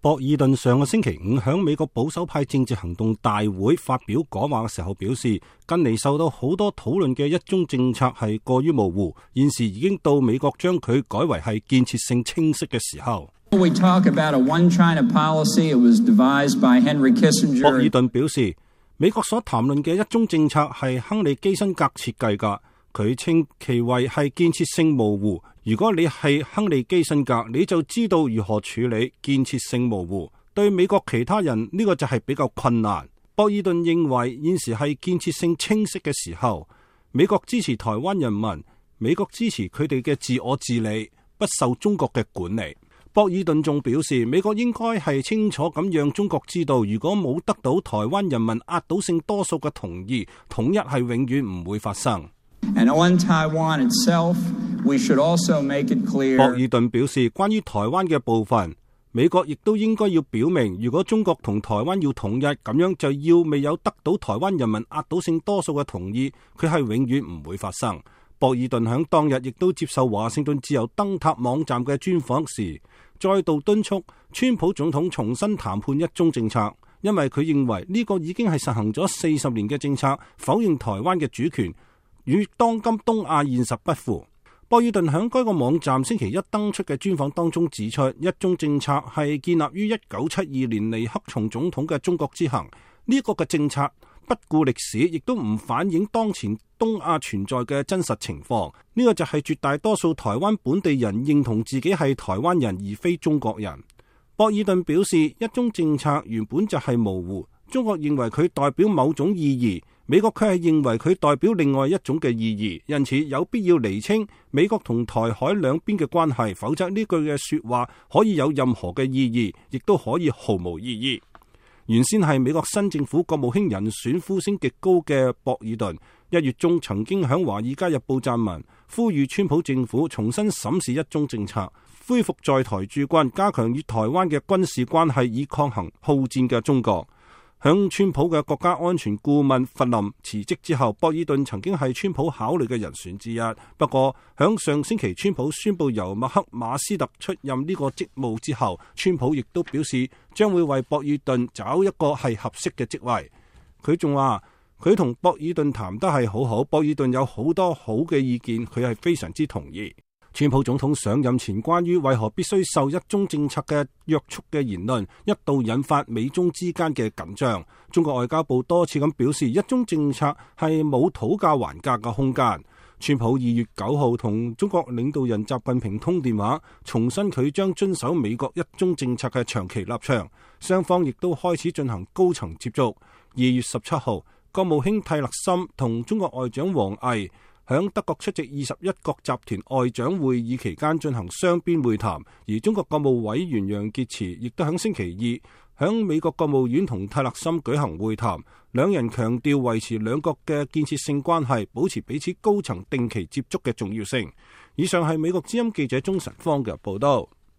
博爾頓上個星期五響美國保守派政治行動大會發表講話嘅時候表示，近嚟受到好多討論嘅一中政策係過於模糊，現時已經到美國將佢改為係建設性清晰嘅時候。博爾頓表示，美國所談論嘅一中政策係亨利基辛格設計㗎，佢稱其為係建設性模糊。如果你係亨利基辛格，你就知道如何處理建設性模糊。對美國其他人呢個就係比較困難。博爾頓認為現時係建設性清晰嘅時候，美國支持台灣人民，美國支持佢哋嘅自我治理，不受中國嘅管理。博爾頓仲表示，美國應該係清楚咁讓中國知道，如果冇得到台灣人民壓倒性多數嘅同意，統一係永遠唔會發生。And on Taiwan itself, we should also make it clear. 博爾頓表示，關於台灣嘅部分，美國亦都應該要表明，如果中國同台灣要統一，咁樣就要未有得到台灣人民壓倒性多數嘅同意，佢係永遠唔會發生。博爾頓響當日亦都接受華盛頓自由燈塔網站嘅專訪時，再度敦促川普總統重新談判一中政策，因為佢認為呢個已經係實行咗40年嘅政策，否認台灣嘅主權與當今東亞現實不符。博爾頓喺該個網站星期一登出嘅專訪當中指出，一中政策係建立於1972年尼克松總統嘅中國之行，呢個嘅政策不顧歷史，亦都唔反映當前東亞存在嘅真實情況。呢個就係絕大多數台灣本地人認同自己係台灣人而非中國人。博爾頓表示，一中政策原本就係模糊，中國認為佢代表某種意義，美國卻係認為佢代表另外一種嘅意義，因此有必要釐清美國同台海兩邊嘅關係，否則呢句嘅說話可以有任何嘅意義，亦都可以毫無意義。原先係美國新政府國務卿人選呼聲極高嘅博爾頓，1月中曾經響《華爾街日報》撰文，呼籲川普政府重新審視一中政策，恢復在台駐軍，加強與台灣嘅軍事關係，以抗衡好戰嘅中國。響川普嘅國家安全顧問弗林辭職之後，博爾頓曾經係川普考慮嘅人選之一。不過響上星期川普宣布由麥克馬斯特出任呢個職務之後，川普亦都表示將會為博爾頓找一個係合適嘅職位。佢仲話佢同博爾頓談得係好好，博爾頓有好多好嘅意見，佢係非常之同意。川普總統上任前關於為何必須受一中政策嘅約束嘅言論，一度引發美中之間嘅緊張。中國外交部多次咁表示，一中政策係冇討價還價嘅空間。川普2月9號同中國領導人習近平通電話，重申佢將遵守美國一中政策嘅長期立場，雙方亦都開始進行高層接觸。2月17號，國務卿蒂勒森同中國外長王毅響德國出席21國集團外長會議期間進行雙邊會談，而中國國務委員楊潔篪亦都響星期二響美國國務院同蒂勒森舉行會談，兩人強調維持兩國嘅建設性關係，保持彼此高層定期接觸嘅重要性。以上係美國之音記者鍾晨芳嘅報道。